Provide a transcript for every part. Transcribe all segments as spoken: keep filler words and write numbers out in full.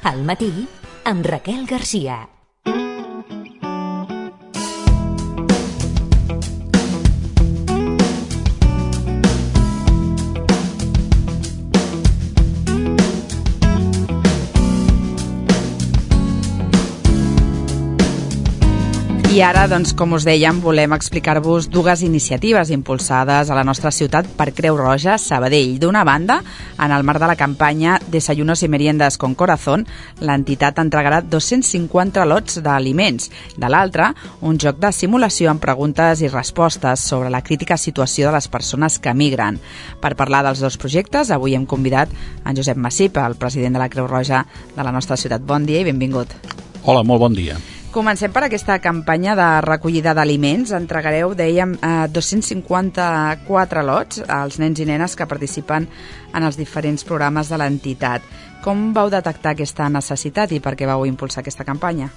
Al matí, amb Raquel Garcia. I ara, doncs, com us dèiem, volem explicar-vos dues iniciatives impulsades a la nostra ciutat per Creu Roja Sabadell. D'una banda, en el marc de la campanya Desayunos y Meriendas con Corazón, l'entitat entregarà dos-cents cinquanta lots d'aliments. De l'altra, un joc de simulació amb preguntes i respostes sobre la crítica situació de les persones que migren. Per parlar dels dos projectes, avui hem convidat en Josep Massip, el president de la Creu Roja de la nostra ciutat. Bon dia i benvingut. Hola, molt bon dia. Comencem per aquesta campanya de recollida d'aliments. Entregareu, dèiem, eh, dos-cents cinquanta-quatre lots als nens i nenes que participen en els diferents programes de l'entitat. Com vau detectar aquesta necessitat i per què vau impulsar aquesta campanya?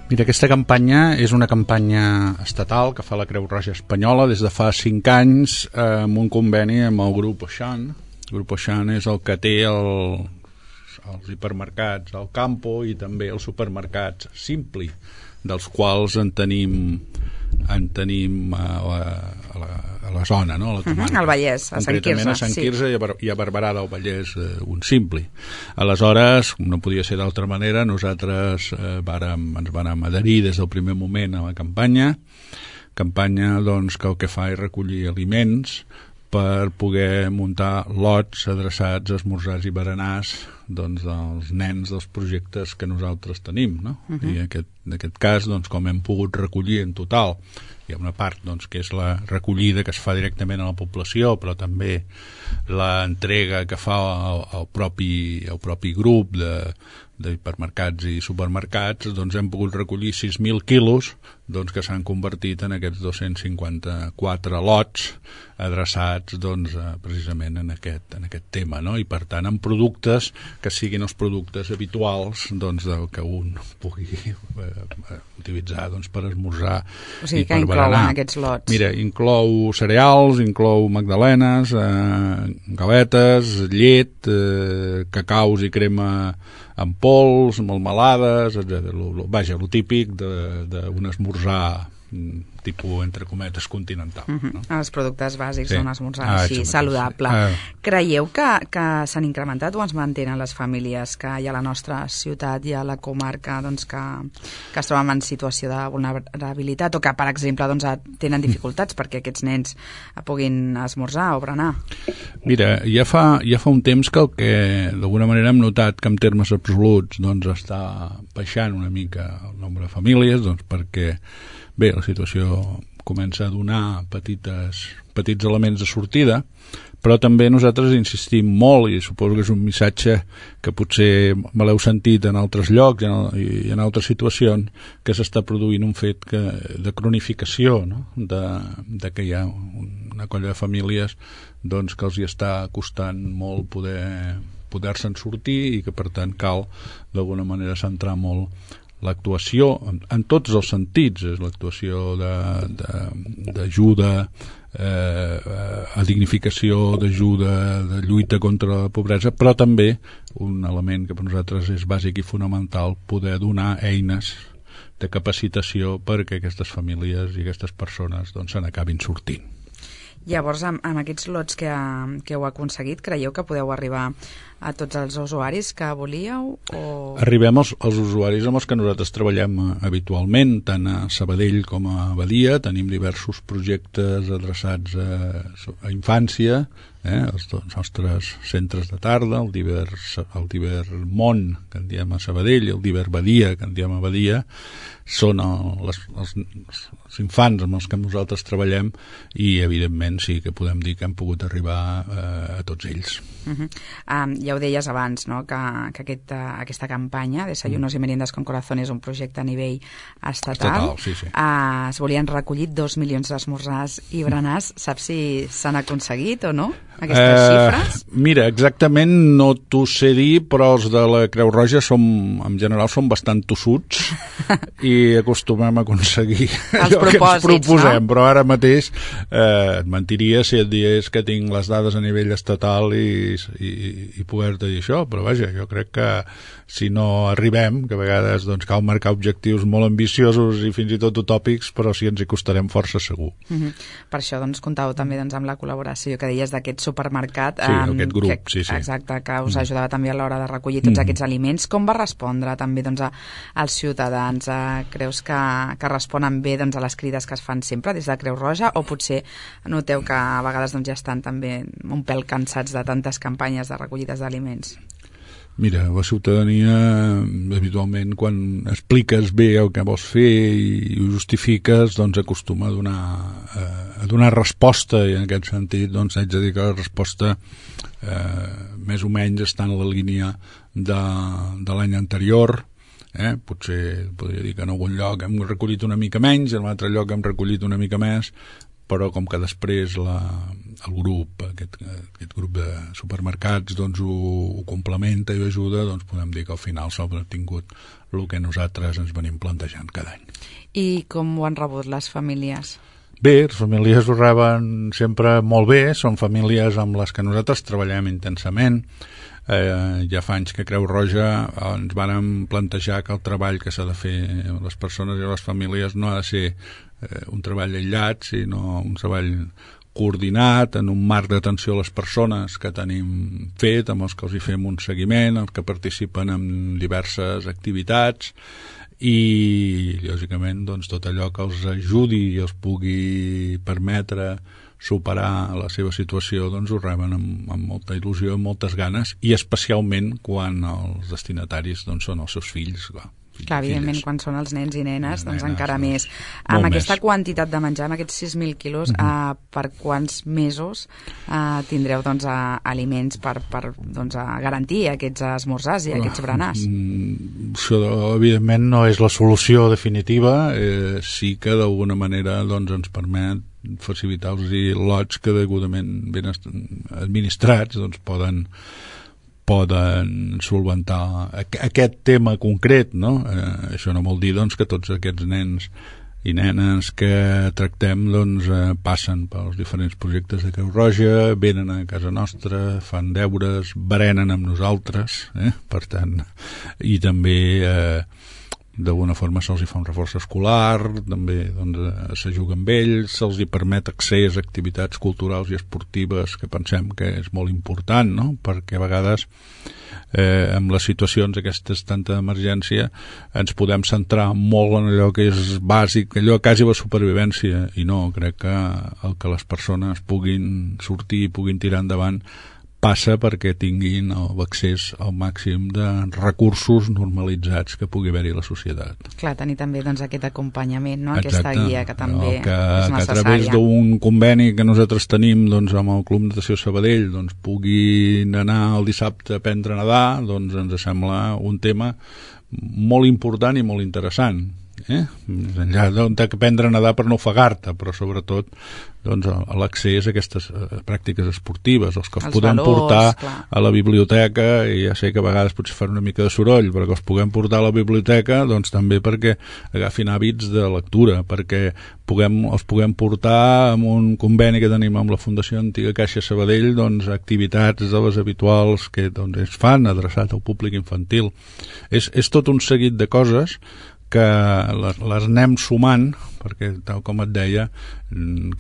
Mira, aquesta campanya és una campanya estatal que fa la Creu Roja Espanyola des de fa cinc anys eh, amb un conveni amb el grup Auchan. El grup Auchan és el que té el, els hipermercats al Campo i també els supermercats Simpli, dels quals en tenim en tenim a la, a la, a la zona, no? A la comarca. Uh-huh, al Vallès, a Sant Quirze. Concretament a Sant Quirze, sí. i, a, i a Barberà del Vallès, eh, un Simpli. Aleshores, no podia ser d'altra manera, nosaltres eh, vàrem, ens vàrem adherir des del primer moment a la campanya, campanya doncs, que el que fa és recollir aliments per poder muntar lots adreçats a esmorzars i berenars doncs, dels nens dels projectes que nosaltres tenim, no? Uh-huh. I aquest, en aquest cas, doncs, com hem pogut recollir en total, hi ha una part doncs, que és la recollida que es fa directament a la població, però també l'entrega que fa el, el, propi, el propi grup de, de hipermercats i supermercats, doncs hem pogut recollir sis mil quilos doncs, que s'han convertit en aquests dos-cents cinquanta-quatre lots adreçats doncs, precisament en aquest, en aquest tema, no? I per tant en productes que siguin els productes habituals doncs, del que un pugui eh, utilitzar doncs, per esmorzar o sigui, i per berenar. Que inclouen aquests lots? Mira, inclou cereals, inclou magdalenes, eh, galetes, llet, eh, cacaus i crema en pols, melmelades, etcètera. Vaja, el típic d'un esmorzar tipus, entre cometes, continental. Uh-huh. No? Els productes bàsics sí. d'un esmorzar ah, així, saludable. Ah. Creieu que, que s'han incrementat o ens mantenen les famílies que hi ha a la nostra ciutat i a la comarca doncs, que, que es troben en situació de vulnerabilitat o que, per exemple, doncs, tenen dificultats perquè aquests nens puguin esmorzar o berenar? Mira, ja fa, ja fa un temps que el que d'alguna manera hem notat que en termes absoluts doncs, està baixant una mica el nombre de famílies, doncs, perquè bé, la situació comença a donar petites, petits elements de sortida, però també nosaltres insistim molt, i suposo que és un missatge que potser me l'heu sentit en altres llocs i en, i en altres situacions, que s'està produint un fet que, de cronificació, no? de, de que hi ha una colla de famílies doncs, que els hi està costant molt poder, poder-se'n sortir i que per tant cal d'alguna manera centrar molt l'actuació en, en tots els sentits, és l'actuació d'ajuda, eh, a dignificació, d'ajuda, de lluita contra la pobresa, però també un element que per nosaltres és bàsic i fonamental, poder donar eines de capacitació perquè aquestes famílies i aquestes persones doncs, se n'acabin sortint. Llavors, amb, amb aquests lots que, que heu aconseguit, creieu que podeu arribar a tots els usuaris que volíeu? O... Arribem als, als usuaris amb els que nosaltres treballem habitualment, tant a Sabadell com a Badia. Tenim diversos projectes adreçats a, a infància, eh, els nostres centres de tarda, el Diver, el Diver Món, que en diem a Sabadell, el Diver Badia, que en diem a Badia, són el, les, els, els infants amb els que nosaltres treballem i, evidentment, sí que podem dir que hem pogut arribar eh, a tots ells. Uh-huh. Um, ja ho deies abans, no?, que, que aquesta, aquesta campanya, Desayunos mm. y Meriendas con Corazón, és un projecte a nivell estatal. Estatal, sí, sí. Uh, es volien recollir dos milions d'esmorzars i berenars. Saps si s'han aconseguit o no, aquestes uh, xifres? Mira, exactament no t'ho sé dir, però els de la Creu Roja som, en general som bastant tossuts i acostumem a aconseguir allò que ens proposem, no? Però ara mateix eh, et mentiria si et digués que tinc les dades a nivell estatal i, i, i poder-te dir això, però vaja, jo crec que si no arribem, que a vegades doncs, cal marcar objectius molt ambiciosos i fins i tot utòpics, però sí ens hi costarem força segur. Mm-hmm. Per això doncs, comptau també doncs, amb la col·laboració que deies d'aquest supermercat. Sí, um, aquest grup, que, sí, sí. Exacte, que us ajudava també a l'hora de recollir tots mm. aquests aliments. Com va respondre també doncs, a, als ciutadans? Uh, creus que, que responen bé doncs, a les crides que es fan sempre des de Creu Roja, o potser noteu que a vegades doncs, ja estan també un pèl cansats de tantes campanyes de recollides d'aliments? Mira, la ciutadania, habitualment, quan expliques bé el que vols fer i ho justifiques, doncs acostuma a donar, a donar resposta, i en aquest sentit, doncs, haig de dir que la resposta eh, més o menys està en la línia de, de l'any anterior. Eh? Potser podria dir que en algun lloc hem recollit una mica menys, en un altre lloc hem recollit una mica més, però com que després la, el grup, aquest, aquest grup de supermercats doncs ho, ho complementa i ho ajuda, doncs podem dir que al final s'ha obtingut el que nosaltres ens venim plantejant cada any. I com ho han rebut les famílies? Bé, les famílies ho reben sempre molt bé, són famílies amb les que nosaltres treballem intensament. Eh, ja fa anys que Creu Roja ens vàrem plantejar que el treball que s'ha de fer les persones i les famílies no ha de ser eh, un treball aïllat, sinó un treball coordinat en un marc d'atenció a les persones que tenim fet, amb els que els hi fem un seguiment, els que participen en diverses activitats, i lògicament doncs, tot allò que els ajudi i els pugui permetre superar la seva situació, doncs ho reben amb, amb molta il·lusió, amb moltes ganes, i especialment quan els destinataris doncs, són els seus fills, clar. Clar, evidentment, quan són els nens i nenes, doncs nenes, encara doncs, més. Amb més. aquesta quantitat de menjar, amb aquests sis mil quilos, mm-hmm. uh, per quants mesos uh, tindreu doncs, uh, aliments per, per doncs, uh, garantir aquests esmorzars i aquests berenars? Mm, això, evidentment, no és la solució definitiva, eh, sí que d'alguna manera doncs, ens permet facilitar-los lots que degudament ben administrats doncs, poden poden solventar aquest tema concret, no? Eh, això no vol dir doncs, que tots aquests nens i nenes que tractem doncs, eh, passen pels diferents projectes de Creu Roja, venen a casa nostra, fan deures, berenen amb nosaltres, eh? Per tant, i també eh, d'alguna forma se'ls hi fa un reforç escolar, també doncs, se juga amb ells, se'ls hi permet accés a activitats culturals i esportives que pensem que és molt important, no? Perquè a vegades eh, amb les situacions aquestes tanta d'emergència ens podem centrar molt en allò que és bàsic, allò quasi la supervivència, i no, crec que el que les persones puguin sortir i puguin tirar endavant passa perquè tinguin l'accés al màxim de recursos normalitzats que pugui haver-hi a la societat. Clar, tenir també doncs, aquest acompanyament, no? Exacte. Aquesta guia que també que, és necessària. Que a través d'un conveni que nosaltres tenim doncs, amb el Club Natació Sabadell doncs, puguin anar el dissabte a aprendre a nedar, doncs ens sembla un tema molt important i molt interessant. Eh? Enllà d'aprendre a nedar per no ofegar-te, però sobretot doncs, l'accés a aquestes uh, pràctiques esportives, els que els, els podem valors, portar clar. A la biblioteca, i ja sé que a vegades potser fan una mica de soroll, però que els puguem portar a la biblioteca doncs també perquè agafin hàbits de lectura, perquè puguem, els puguem portar amb un conveni que tenim amb la Fundació Antiga Caixa Sabadell, doncs activitats de les habituals que doncs, es fan adreçat al públic infantil. És, és tot un seguit de coses que les, les anem sumant, perquè tal com et deia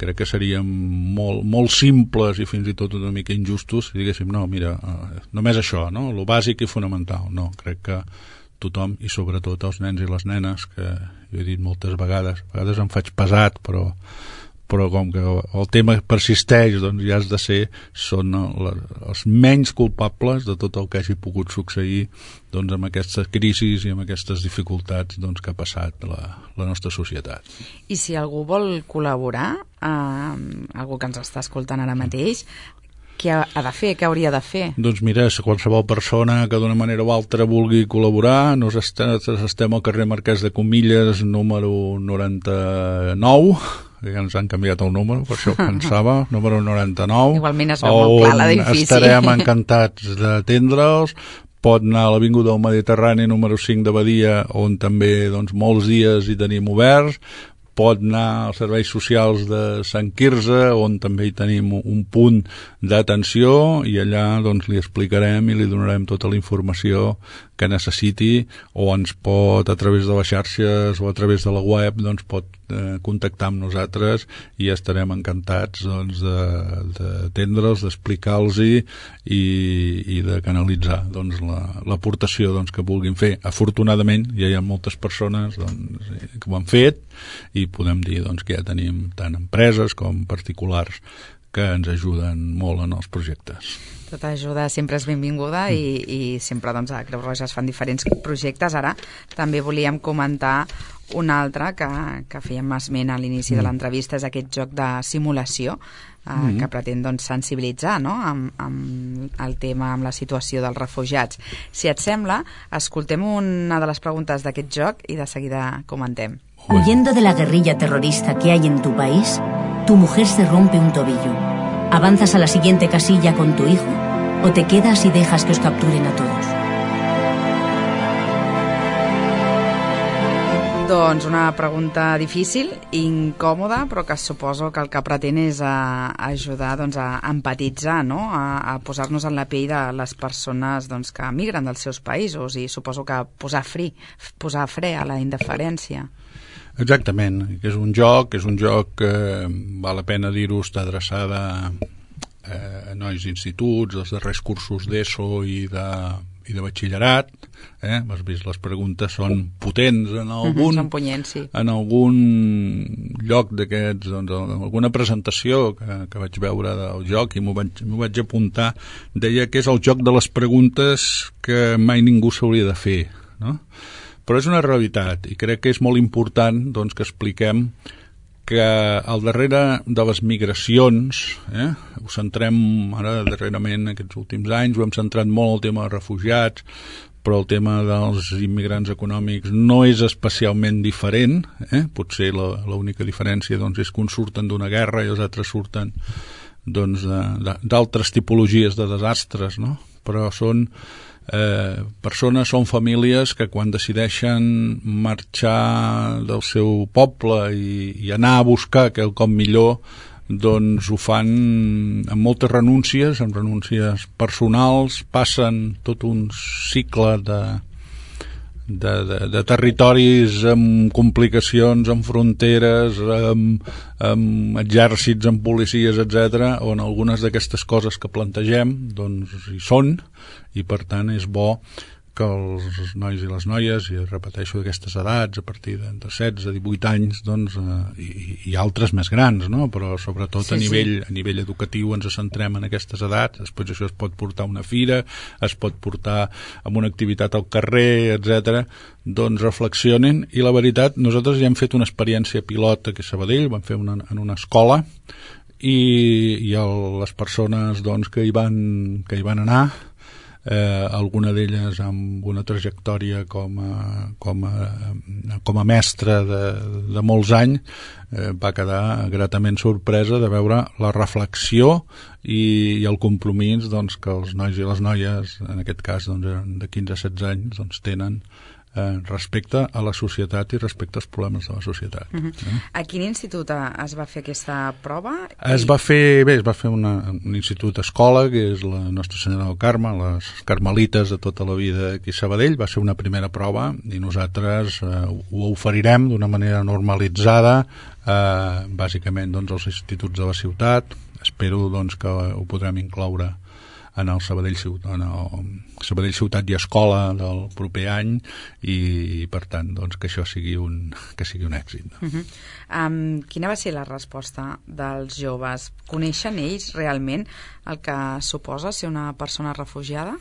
crec que serien molt, molt simples i fins i tot una mica injustos si diguéssim, no, mira, només això, no? Lo bàsic i fonamental, no, crec que tothom, i sobretot els nens i les nenes, que jo he dit moltes vegades, a vegades em faig pesat, però però com que el tema persisteix, doncs ja has de ser, són els menys culpables de tot el que hagi pogut succeir doncs, amb aquestes crisis i amb aquestes dificultats doncs, que ha passat la, la nostra societat. I si algú vol col·laborar, eh, algú que ens està escoltant ara mateix, què ha de fer, què hauria de fer? Doncs mira, qualsevol persona que d'una manera o altra vulgui col·laborar, nosaltres estem al carrer Marquès de Comilles, número noranta-nou, que ens han canviat el número, per això ho pensava, número noranta-nou. Igualment es veu molt clar l'edifici. Estarem encantats d'atendre'ls. Pot anar a l'Avinguda del Mediterrani número cinc de Badia, on també doncs, molts dies hi tenim oberts. Pot anar als serveis socials de Sant Quirze, on també hi tenim un punt d'atenció, i allà doncs, li explicarem i li donarem tota la informació que necessiti, o ens pot, a través de les xarxes o a través de la web, doncs pot eh, contactar amb nosaltres i estarem encantats doncs, d'atendre'ls, de, d'explicar-los i, i de canalitzar doncs, l'aportació la, doncs, que vulguin fer. Afortunadament ja hi ha moltes persones doncs, que ho han fet i podem dir doncs, que ja tenim tant empreses com particulars que ens ajuden molt en els projectes. Tota ajuda sempre és benvinguda mm. i, i sempre doncs, a Creu Roja es fan diferents projectes. Ara també volíem comentar un altre que, que fèiem esment a l'inici mm. de l'entrevista, és aquest joc de simulació eh, mm. que pretén doncs, sensibilitzar no? amb, amb el tema, amb la situació dels refugiats. Si et sembla, escoltem una de les preguntes d'aquest joc i de seguida comentem. Huyendo de la guerrilla terrorista que hay en tu país, tu mujer se rompe un tobillo. ¿Avanzas a la siguiente casilla con tu hijo o te quedas y dejas que os capturen a todos? Doncs una pregunta difícil, incòmoda, però que suposo que el que pretén és a, a ajudar doncs, a empatitzar, no? a, a posar-nos en la pell de les persones doncs, que migren dels seus països i suposo que posar fri, posar fre a la indiferència. Exactament, que és un joc, és un joc que val la pena dir-ho, està adreçada a nois d'instituts, dels darrers cursos d'ESO i de, i de batxillerat. Eh? Has vist, les preguntes són potents en algun, són punyents, sí. En algun lloc d'aquests, doncs, en alguna presentació que, que vaig veure del joc i m'ho vaig, m'ho vaig apuntar, deia que és el joc de les preguntes que mai ningú s'hauria de fer, no? Però és una realitat i crec que és molt important doncs, que expliquem que al darrere de les migracions, eh, ho centrem ara darrerament aquests últims anys, ho hem centrat molt el tema dels refugiats, però el tema dels immigrants econòmics no és especialment diferent, eh? Potser l'única diferència doncs, és que uns surten d'una guerra i els altres surten doncs, d'altres tipologies de desastres, no? Però són Eh, persones, són famílies que quan decideixen marxar del seu poble i, i anar a buscar quelcom millor doncs ho fan amb moltes renúncies, amb renúncies personals, passen tot un cicle de De, de, de territoris amb complicacions, amb fronteres, amb, amb exèrcits, amb policies, etcètera, on algunes d'aquestes coses que plantegem doncs hi són i per tant és bo que els nois i les noies, i repeteixo d'aquestes edats, a partir de setze a divuit anys, doncs, eh, i, i altres més grans, no? Però sobretot sí, a, nivell, sí. a nivell educatiu ens centrem en aquestes edats, després això es pot portar a una fira, es pot portar a una activitat al carrer, etcètera. Doncs reflexionin, i la veritat, nosaltres ja hem fet una experiència pilot aquí a Sabadell, vam fer una, en una escola, i, i el, les persones doncs, que, hi van, que hi van anar, Eh, alguna d'elles amb una trajectòria com a, com a, com a mestra de, de molts anys, eh, va quedar gratament sorpresa de veure la reflexió i, i el compromís doncs, que els nois i les noies, en aquest cas doncs, de quinze a setze anys, doncs, tenen eh, respecte a la societat i respecte als problemes de la societat. Uh-huh. eh? A quin institut es va fer aquesta prova? Es va fer, bé, es va fer una, un institut escola, que és la Nostra Senyora del Carme, les carmelites de tota la vida aquí a Sabadell. Va ser una primera prova i nosaltres eh, ho oferirem d'una manera normalitzada, eh, bàsicament doncs, als instituts de la ciutat. Espero doncs, que ho podrem incloure en el Sabadell Ciutat, en el Sabadell Ciutat i Escola del proper any i, per tant, doncs, que això sigui un, que sigui un èxit. No? Uh-huh. um, quina va ser la resposta dels joves? Coneixen ells realment el que suposa ser una persona refugiada?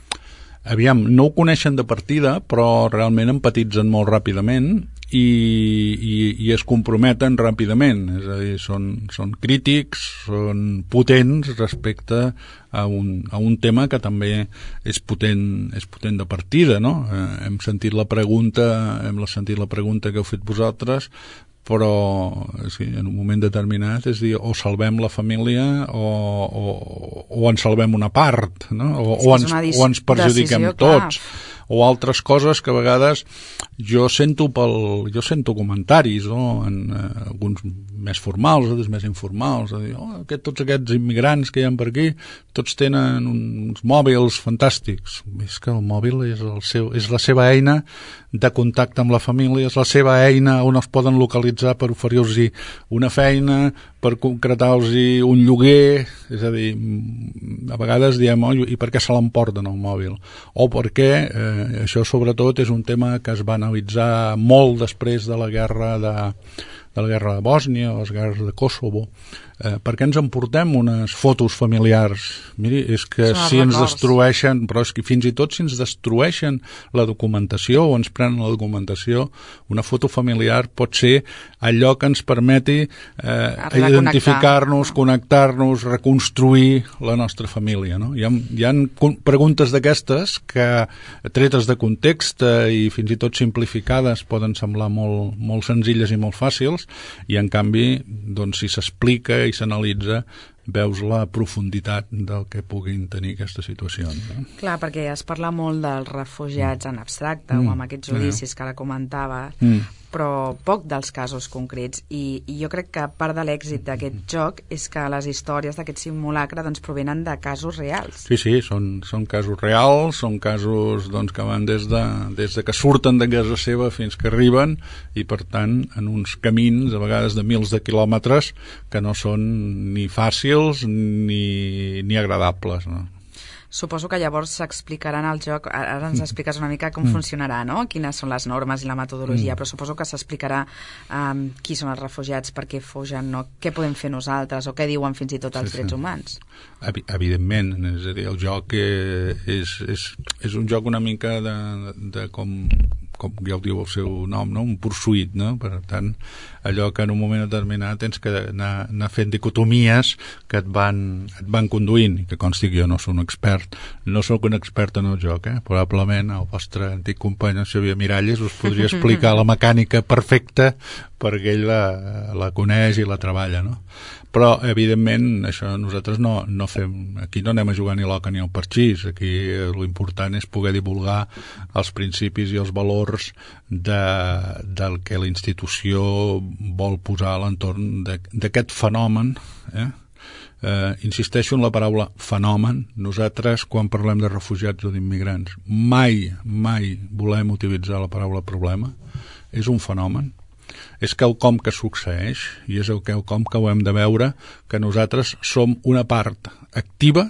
Aviam, no ho coneixen de partida, però realment empatitzen molt ràpidament i, i, i es comprometen ràpidament, és a dir, són, són crítics, són potents respecte a un, a un tema que també és potent, és potent de partida, no? Eh, hem sentit la pregunta, hem sentit la pregunta que heu fet vosaltres, però sí, en un moment determinat és dir, o salvem la família o, o, o en salvem una part, no? o, o, ens, o ens perjudiquem tots, o altres coses que a vegades jo sento pel, jo sento comentaris, no? En eh, alguns més formals, altres més informals, a dir, oh, aquest, tots aquests immigrants que hi ha per aquí, tots tenen uns mòbils fantàstics. És que el mòbil és, el seu, és la seva eina de contacte amb la família, és la seva eina on es poden localitzar per oferir-los una feina, per concretar-los un lloguer, és a dir, a vegades diem, oh, i per què se l'emporten el mòbil? O perquè, eh, això sobretot és un tema que es va analitzar molt després de la guerra de, de la guerra de Bòsnia o les guerres de Kosovo. Eh, per què ens emportem unes fotos familiars? Miri, és que Són si ens records. destrueixen, però és que fins i tot si ens destrueixen la documentació o ens prenen la documentació, una foto familiar pot ser allò que ens permeti eh, identificar-nos, connectar-nos, reconstruir la nostra família, no? Hi ha, hi ha preguntes d'aquestes que, tretes de context eh, i fins i tot simplificades, poden semblar molt, molt senzilles i molt fàcils, i en canvi, doncs, si s'explica i s'analitza, veus la profunditat del que puguin tenir aquestes situacions. No? Clar, perquè es parla molt dels refugiats en abstracte mm. o amb aquests judicis que ara comentava, mm. però poc dels casos concrets. I, i jo crec que part de l'èxit d'aquest joc és que les històries d'aquest simulacre doncs, provenen de casos reals. Sí, sí, són, són casos reals, són casos doncs, que van des de, des de que surten de casa seva fins que arriben, i per tant en uns camins, a vegades de mils de quilòmetres, que no són ni fàcils ni, ni agradables, no? Suposo que llavors s'explicaran al joc, ara ens expliques una mica com mm. funcionarà, no? Quines són les normes i la metodologia, mm. però suposo que s'explicarà um, qui són els refugiats, per què fugen, no? Què podem fer nosaltres, o què diuen fins i tot els sí, drets sí. humans. Evidentment, és a dir, el joc és, és, és un joc una mica de, de com, com ja ho diu el seu nom, no? Un pursuit, no? Per tant, allò que en un moment determinat tens que anar, anar fent dicotomies que et van, et van conduint, i que consti que jo no soc un expert, no sóc un expert en el joc, eh? Probablement el vostre antic company, en Xavier Miralles, us podria explicar la mecànica perfecta perquè ell la, la coneix i la treballa, no? Però, evidentment, això nosaltres no, no fem... Aquí no anem a jugar ni l'oca ni el parxís. Aquí l'important és poder divulgar els principis i els valors de, del que la institució vol posar a l'entorn d'aquest fenomen. Eh? Eh, insisteixo en la paraula fenomen. Nosaltres, quan parlem de refugiats o d'immigrants, mai, mai volem utilitzar la paraula problema. És un fenomen. És quelcom que succeeix i és quelcom que ho hem de veure, que nosaltres som una part activa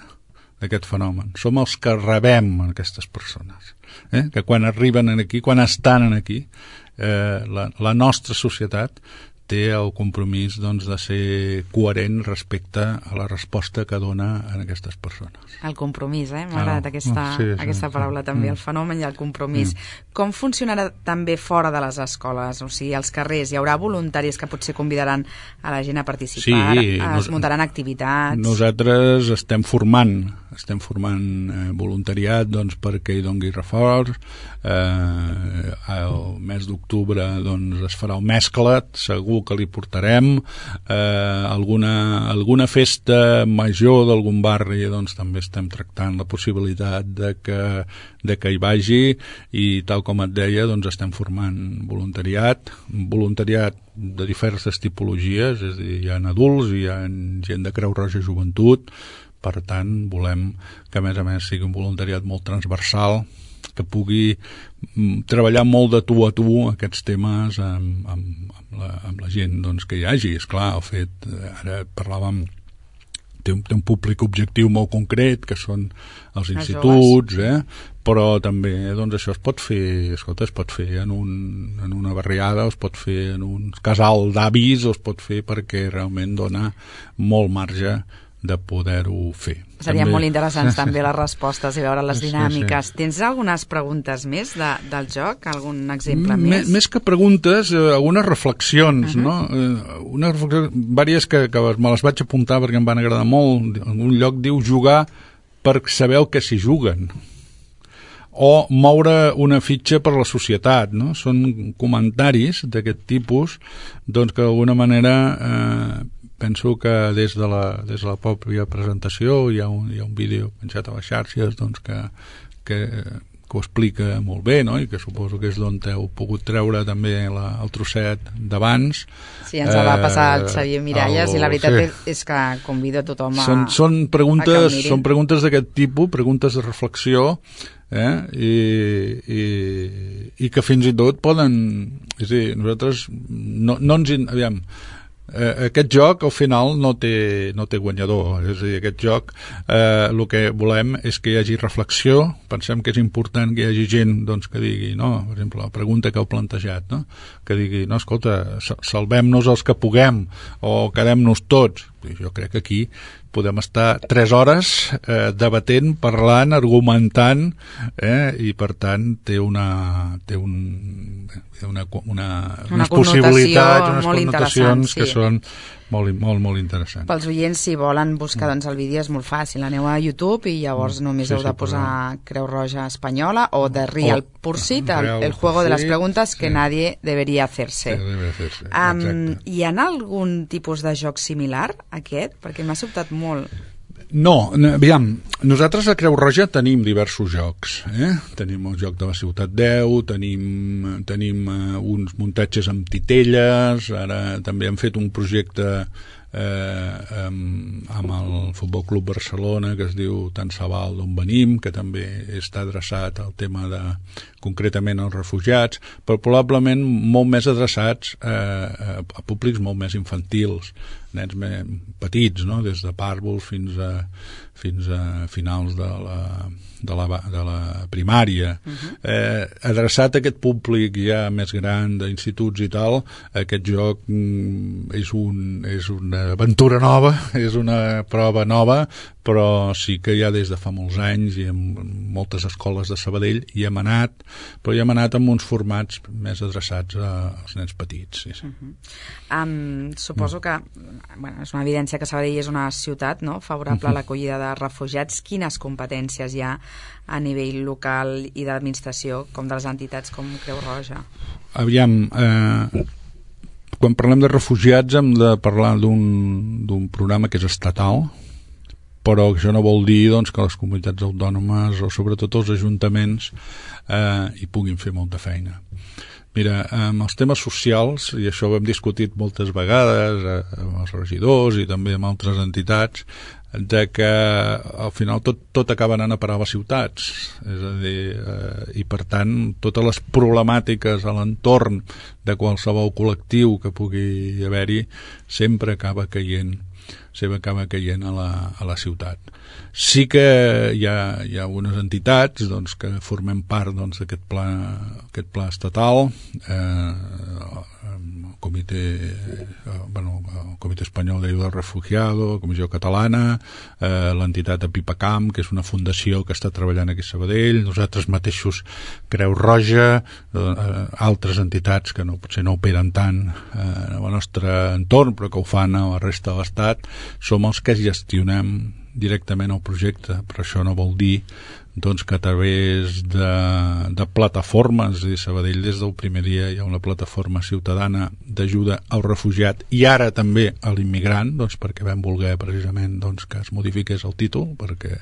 d'aquest fenomen. Som els que rebem aquestes persones. Eh? Que quan arriben aquí, quan estan aquí, eh, la, la nostra societat té el compromís doncs, de ser coherent respecte a la resposta que dona a aquestes persones. El compromís, eh? M'ha agradat aquesta, sí, sí, aquesta paraula sí. també, mm. el fenomen i el compromís. Mm. Com funcionarà també fora de les escoles? O sigui, als carrers hi haurà voluntaris que potser convidaran a la gent a participar, sí, es muntaran activitats... Nosaltres estem formant, estem formant eh, voluntariat doncs, perquè hi dongui reforç. Eh, el mes d'octubre doncs, es farà el mesclat, segur que li portarem eh, alguna, alguna festa major d'algun barri, doncs també estem tractant la possibilitat de que, de que hi vagi, i tal com et deia, doncs estem formant voluntariat, voluntariat de diverses tipologies, és a dir, hi ha adults, hi ha gent de Creu Roja Joventut, per tant volem que a més a més sigui un voluntariat molt transversal, que pugui treballar molt de tu a tu aquests temes amb, amb, amb, la, amb la gent doncs, que hi hagi. Esclar, el fet, ara parlàvem, té un, té un públic objectiu molt concret, que són els instituts, eh? Però també doncs, això es pot fer, escolta, es pot fer en, un, en una barriada, o es pot fer en un casal d'avis, o es pot fer perquè realment dona molt marge de poder-ho fer. Serien també... molt interessants també les respostes i veure les dinàmiques. Sí, sí. Tens algunes preguntes més de, del joc? Algun exemple M més? Més que preguntes, eh, algunes reflexions, uh -huh. no? Eh, unes reflexions, vàries que, que me les vaig apuntar perquè em van agradar molt. En un lloc diu jugar per saber el que s'hi juguen, o moure una fitxa per la societat, no? Són comentaris d'aquest tipus, doncs que d'alguna manera eh, penso que des de la, des de la pròpia presentació hi ha un, hi ha un vídeo penjat a les xarxes doncs que, que que ho explica molt bé, no? I que suposo que és d'on heu pogut treure també la, el trosset d'abans. Sí, ens ha de passar el Xavier Miralles el, i la veritat sí. és, és que convido a tothom a, són, són preguntes, a que mirin. Són preguntes d'aquest tipus, preguntes de reflexió, eh? I, i, i que fins i tot poden... És a dir, nosaltres no, no ens... Aviam, Eh, aquest joc al final no té, no té guanyador, és a dir, aquest joc eh, el que volem és que hi hagi reflexió, pensem que és important que hi hagi gent doncs, que digui, no, per exemple la pregunta que heu plantejat, no? Que digui, no, escolta, salvem-nos els que puguem o quedem-nos tots. Jo crec que aquí podem estar tres hores eh, debatent, parlant, argumentant, eh, i per tant té una té un, una, una, una unes possibilitats, unes molt connotacions sí. que són molt, molt, molt interessants. Pels oients, si volen buscar doncs, el vídeo és molt fàcil, aneu a YouTube i llavors només sí, heu de sí, posar però... Creu Roja Espanyola o The Real oh, Pursuit, el, el juego de les preguntes que sí. nadie debería hacerse. Sí, debe hacerse. Um, hi ha algun tipus de joc similar a aquest? Perquè m'ha sobtat molt. No, aviam, nosaltres a Creu Roja tenim diversos jocs, eh? Tenim el joc de la Ciutat deu, tenim, tenim uh, uns muntatges amb titelles, ara també hem fet un projecte eh, amb, amb el Futbol Club Barcelona que es diu Tant se val d'on venim, que també està adreçat al tema de, concretament als refugiats, però probablement molt més adreçats eh, a públics molt més infantils, nens més petits, no? Des de pàrvuls fins a, fins a finals de la, de la, de la primària. Uh-huh. eh, adreçat a aquest públic ja més gran d'instituts i tal, aquest joc mm, és, un, és una aventura nova, és una prova nova, però sí que ja des de fa molts anys i en moltes escoles de Sabadell hi hem anat, però hi hem anat amb uns formats més adreçats als nens petits. Sí, sí. Uh-huh. um, suposo que bueno, és una evidència que Sabadell és una ciutat, no?, favorable uh-huh. a l'acollida de refugiats. Quines competències hi ha a nivell local i d'administració, com de les entitats com Creu Roja? Aviam, eh, quan parlem de refugiats hem de parlar d'un d'un programa que és estatal, però això no vol dir doncs, que les comunitats autònomes o sobretot els ajuntaments eh, hi puguin fer molta feina. Mira, amb els temes socials, i això ho hem discutit moltes vegades eh, amb els regidors i també amb altres entitats, de que al final tot, tot acaba anant a parar a les ciutats, és a dir, eh, i per tant totes les problemàtiques a l'entorn de qualsevol col·lectiu que pugui haver-hi sempre acaba caient sempre acaba caient a la, a la ciutat. Sí que hi ha, hi ha algunes entitats doncs, que formem part doncs, d'aquest pla, aquest pla estatal, eh, el Comitè, eh, bueno, el Comitè Espanyol d'Ayuda al Refugiado, la Comissió Catalana, eh, l'entitat Apipacam, que és una fundació que està treballant aquí a Sabadell, nosaltres mateixos Creu Roja, eh, altres entitats que no, potser no operen tant eh, en el nostre entorn, però que ho fan a la resta de l'Estat, som els que gestionem directament el projecte, però això no vol dir doncs, que a través de, de plataformes, i Sabadell des del primer dia hi ha una plataforma ciutadana d'ajuda al refugiat i ara també a l'immigrant, doncs, perquè vam voler precisament doncs, que es modifiqués el títol, perquè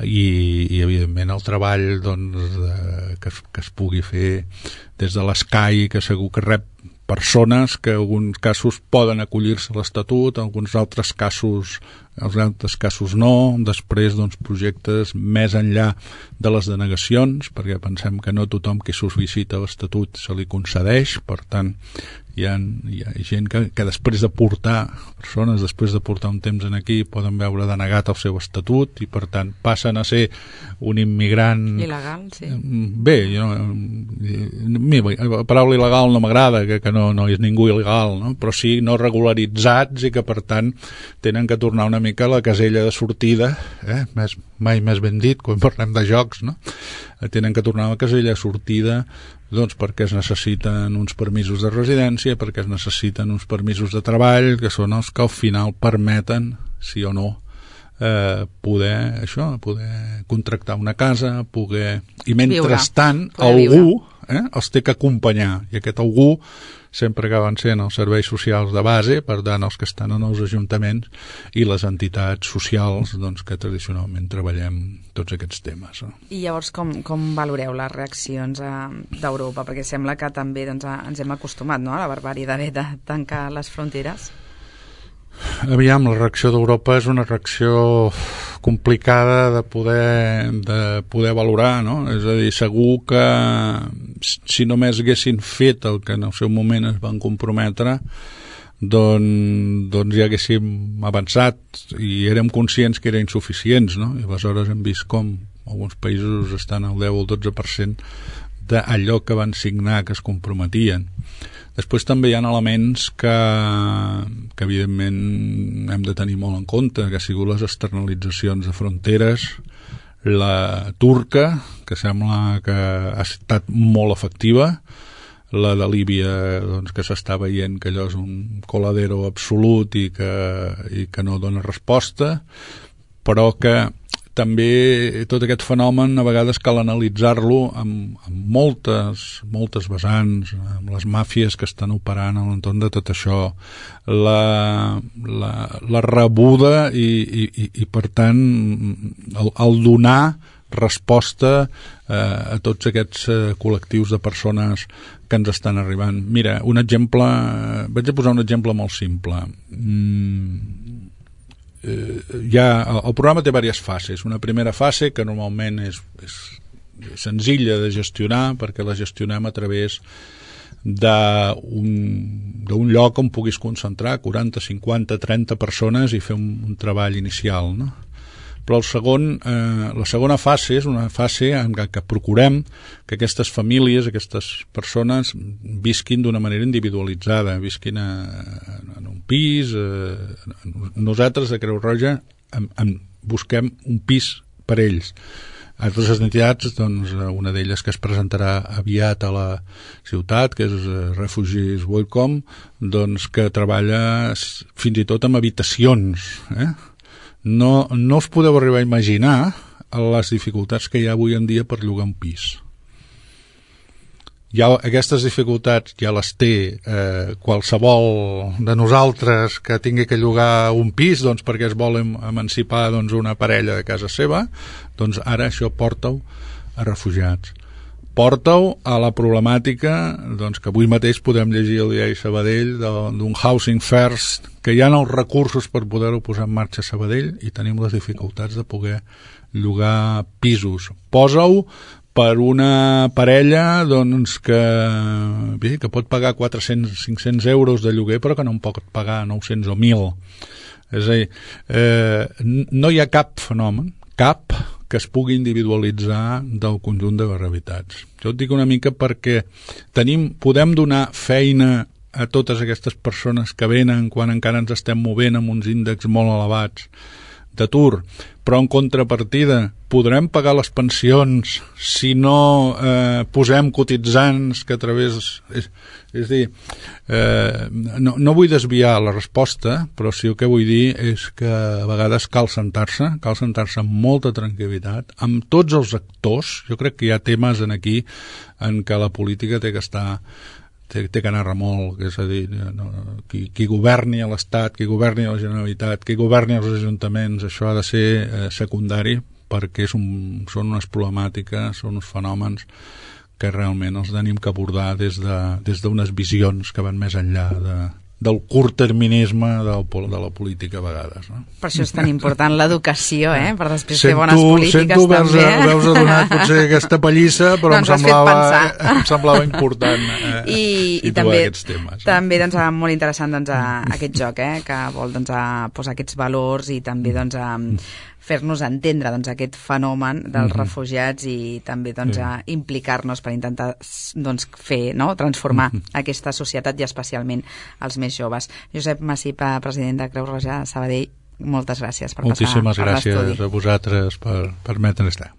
i, i evidentment el treball doncs, de, que, es, que es pugui fer des de l'Escai, que segur que rep persones que en alguns casos poden acollir-se a l'Estatut, en alguns altres casos els altres casos no, després doncs, projectes més enllà de les denegacions, perquè pensem que no tothom que sol·licita l'Estatut se li concedeix, per tant hi ha, hi ha gent que, que després de portar persones, després de portar un temps en aquí poden veure denegat el seu estatut i per tant passen a ser un immigrant il·legal, sí. Bé, jo, la paraula il·legal no m'agrada, que, que no, no és ningú il·legal, no? Però sí no regularitzats i que per tant tenen que tornar una mica a la casella de sortida, eh? més, mai més ben dit quan parlem de jocs, no? Tenen que tornar a la casella de sortida doncs perquè es necessiten uns permisos de residència, perquè es necessiten uns permisos de treball, que són els que al final permeten, sí o no, eh, poder, això, poder contractar una casa, poder... I mentrestant, algú eh, els té que acompanyar, i aquest algú sempre acaben sent els serveis socials de base, per tant els que estan en els ajuntaments i les entitats socials doncs, que tradicionalment treballem tots aquests temes. No? I llavors com, com valoreu les reaccions a, d'Europa? Perquè sembla que també doncs, a, ens hem acostumat, no?, a la barbàrie d'haver de tancar les fronteres. Aviam, la reacció d'Europa és una reacció complicada de poder, de poder valorar, no? És a dir, segur que si només haguessin fet el que en el seu moment es van comprometre, doncs, doncs ja haguéssim avançat i érem conscients que eren insuficients, no? I aleshores hem vist com alguns països estan al deu o el dotze per cent d'allò que van signar, que es comprometien. Després també hi ha elements que, que evidentment hem de tenir molt en compte, que ha sigut les externalitzacions de fronteres, la turca, que sembla que ha estat molt efectiva, la de Líbia, doncs, que s'està veient que allò és un coladero absolut i que, i que no dona resposta, però que també tot aquest fenomen a vegades cal analitzar-lo amb, amb moltes, moltes vessants, amb les màfies que estan operant a l'entorn de tot això, la, la, la rebuda i, i, i per tant el, el donar resposta eh, a tots aquests eh, col·lectius de persones que ens estan arribant. Mira, un exemple, eh, vaig a posar un exemple molt simple. Mm, Eh, ja, el, el programa té diverses fases. Una primera fase que normalment és, és senzilla de gestionar perquè la gestionem a través d'un d'un lloc on puguis concentrar quaranta, cinquanta, trenta persones i fer un, un treball inicial, no? Però el segon, eh, la segona fase és una fase en què, que procurem que aquestes famílies, aquestes persones visquin d'una manera individualitzada, visquin a, en un pis. Eh, nosaltres a Creu Roja en, en busquem un pis per ells. Altres entitats, doncs, una d'elles que es presentarà aviat a la ciutat, que és Refugees Welcome, doncs, que treballa fins i tot amb habitacions, eh? No, no us podeu arribar a imaginar les dificultats que hi ha avui en dia per llogar un pis. Ja, aquestes dificultats ja les té eh, qualsevol de nosaltres que tingui que llogar un pis, doncs, perquè es vol emancipar, doncs, una parella de casa seva, doncs ara això porta-ho a refugiats. Porta-ho a la problemàtica, doncs, que avui mateix podem llegir al diari Sabadell d'un Housing First, que hi ha els recursos per poder-ho posar en marxa a Sabadell i tenim les dificultats de poder llogar pisos. Posa-ho per una parella, doncs, que, bé, que pot pagar quatre-cents, cinc-cents euros de lloguer però que no en pot pagar nou-cents o mil. És a dir, eh, no hi ha cap fenomen, cap, que es pugui individualitzar del conjunt de gravitats. Jo et dic una mica perquè tenim, podem donar feina a totes aquestes persones que venen quan encara ens estem movent amb uns índexs molt elevats d'atur, però en contrapartida podrem pagar les pensions si no eh, posem cotitzants que a través... És, és dir, eh, no, no vull desviar la resposta, però sí el que vull dir és que a vegades cal sentar-se, cal sentar-se amb molta tranquil·litat, amb tots els actors. Jo crec que hi ha temes en aquí en què la política té que estar té, té que anar a remolc, és a dir, no, qui, qui governi a l'Estat, qui governi a la Generalitat, qui governi als ajuntaments, això ha de ser eh, secundari, perquè és un, són unes problemàtiques, són uns fenòmens que realment els tenim que abordar des de, des d'unes visions que van més enllà de, del curtterminisme del, de la política a vegades. No? Per això és tan important l'educació, eh? Per després sento, fer bones polítiques sento també. Sento, veus donat potser aquesta pallissa, però no, em, semblava, em semblava important eh, I, situar i també, aquests temes. Eh? També doncs, molt interessant doncs, a, aquest joc, eh? Que vol doncs, a posar aquests valors i també doncs, a fer-nos entendre doncs, aquest fenomen dels mm-hmm. refugiats i també doncs, sí. a implicar-nos per intentar doncs, fer, no? transformar mm-hmm. aquesta societat i especialment els més joves. Josep Massip, president de Creu Roja Sabadell, moltes gràcies per Moltíssimes passar per l'estudi. Moltíssimes gràcies a vosaltres per permetre'ns estar.